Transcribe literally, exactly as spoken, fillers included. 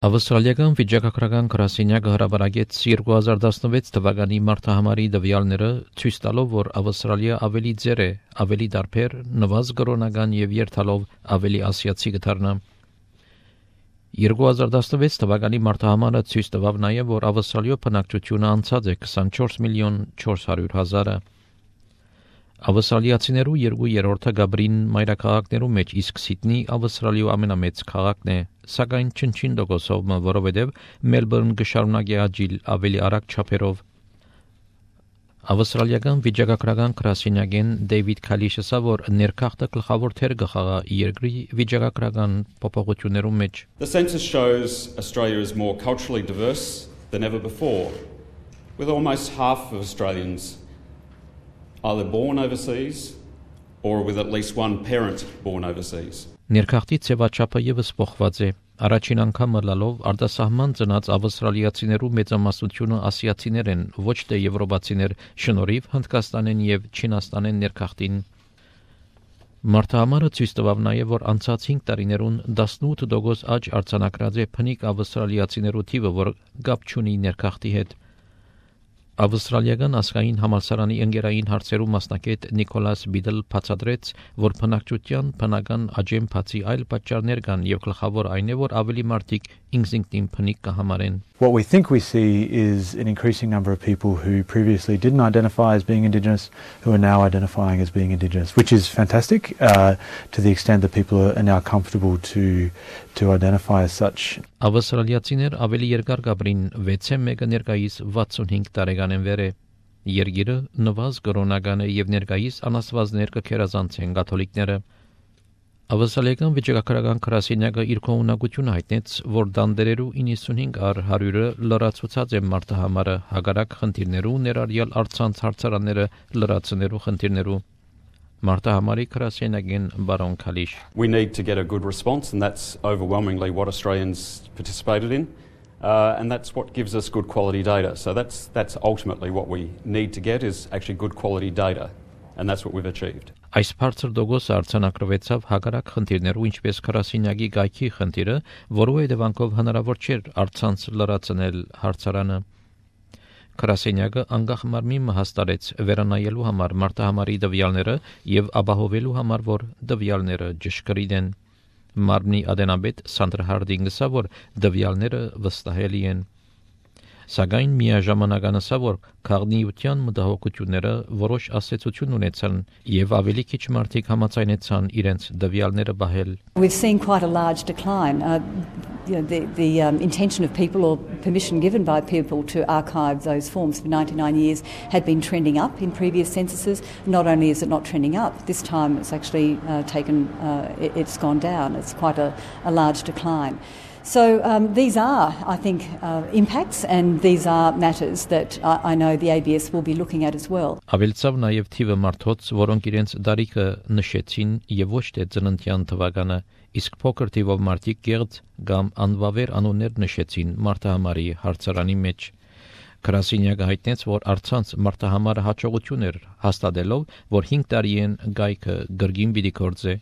Ավստրալիական վիճակագրական գրասենյակը հրապարակեց երկու հազար տասնվեց թվականի մարտահամարի տվյալները, ցույց տալով, որ Ավստրալիա ավելի ծեր է, ավելի դարբեր, նվազ կրոնական եւ երթալով ավելի ասիացի կդառնա։ երկու հազար տասնվեց թվականի մարտահամարը ցույց տվավ նաեւ, որ Ավստրալիո բնակչությունը անցած է քսանչորս միլիոն չորս հարյուր հազարը։ Ավստրալիացիներու երկու երրորդը գաբրին մայրաքաղաքներու մեջ, իսկ Սիդնի Ավստրալիո ամենամեծ քաղաքն է, սակայն չնչին տոկոսով, որովհետև Մելբուրն կշարունակի աճիլ ավելի արագ չափերով։ Ավստրալիական վիճակագրական գրասենյակեն Դեյվիդ Քալիշը ասա, որ ներքախտը գլխավոր թեր կխաղա երկրի վիճակագրական փոփոխություններու մեջ։ The census shows Australia is more culturally diverse than ever before, with almost half of Australians either born overseas or with at least one parent born overseas. Ներքախտի ծավալչափը եւս փոխված է։ Առաջին անգամ լալով արտասահման ծնած ավստրալիացիներու մեծամասնությունը ասիացիներ են, ոչ թե եվրոպացիներ, շնորհիվ Հնդկաստանեն եւ Չինաստանեն ներքախտին։ Մարտահամարը ցույց տվավ նաեւ, որ անցած հինգ տարիներուն տասնութ տոկոս աճ արձանագրած է փնիկ ավստրալիացիներու թիվը, որ կապ չունի ներքախտի հետ։ Ավստրալիական ազգային համալսարանի ընկերային հարցերու մասնակետ Նիկոլաս Բիդլ բացատրեց, որ բնակչության բնական աճեն բացի այլ պատճառներ կան եւ գլխավոր այն է, որ ավելի մարդիկ ինքնին փնիկ կհամարեն։ What we think we see is an increasing number of people who previously didn't identify as being Indigenous who are now identifying as being Indigenous, which is fantastic uh, to the extent that people are now comfortable to to identify as such. Ավստրալիացիներ ավելի երկար կապրին վեցը մեկը ներկայիս վաթսունհինգ տարեկան են վեր է։ Երգիրը նվազ կրոնական է եւ ներկայիս անաստվածներ կքերազանցեն կաթոլիկները։ Ավստրալիական վիճակագրական գրասենյակը իր կողմնակությունը հայտնեց, որ դանդերերու իննսունհինգ առ հարյուրը լրացուցած է մարտահամարը հագարակ խնդիրներու ներառյալ արցանց հարցարանները լրացնելու խնդիրներու։ Մարտահամարի գրասենյակեն բարոն Քալիշ. We need to get a good response, and that's overwhelmingly what Australians participated in, uh, and that's what gives us good quality data. So that's that's ultimately what we need to get is actually good quality data, and that's what we've achieved. Այս բարձր դոգոսը արձանագրվեցավ հագարակ խնդիրներու, ինչպես գրասենյակի գայքի խնդիրը, որու հետևանքով հնարավոր չէր արցանց լրացնել հարցարանը։ Գրասենյակը անգախ մարմի հաստատեց վերանայելու համար մարտահամարի տվյալները եւ ապահովելու համար, որ տվյալները ճշգրիտ են։ Մարմնի ադենաբեդ Սանդրա Հարդինգը ասա, որ տվյալները վստահելի են։ Սակայն միաժամանակ անասա, որ քաղաքնիության մտահոգությունները որոշ ասացություն ունեցան եւ ավելի քիչ մարդիկ համաձայնեցան իրենց տվյալները բահել։ We've seen quite a large decline. Uh, you know, the the um, intention of people or permission given by people to archive those forms for ninety-nine years had been trending up in previous censuses. Not only is it not trending up, this time it's actually uh, taken, uh, it, it's gone down. It's quite a, a large decline. So um, these are, I think, uh, impacts, and these are matters that uh, I know the A B S will be looking at as well. Ավելցավ նաև թիվը մարդոց, որոնք իրենց դարիքը նշեցին եւ ոչ թե ծննդյան թվականը, իսկ փոքր թիվով մարդիկ գեղձ կամ անվավեր անուններ նշեցին մարտահամարի հարցարանի մեջ։ Գրասենյակը հայտնեց, որ արցանց մարտահամարը հաջողություն էր հաստատելով, որ հինգ տարի են գայքը գրգին պիտի գործե։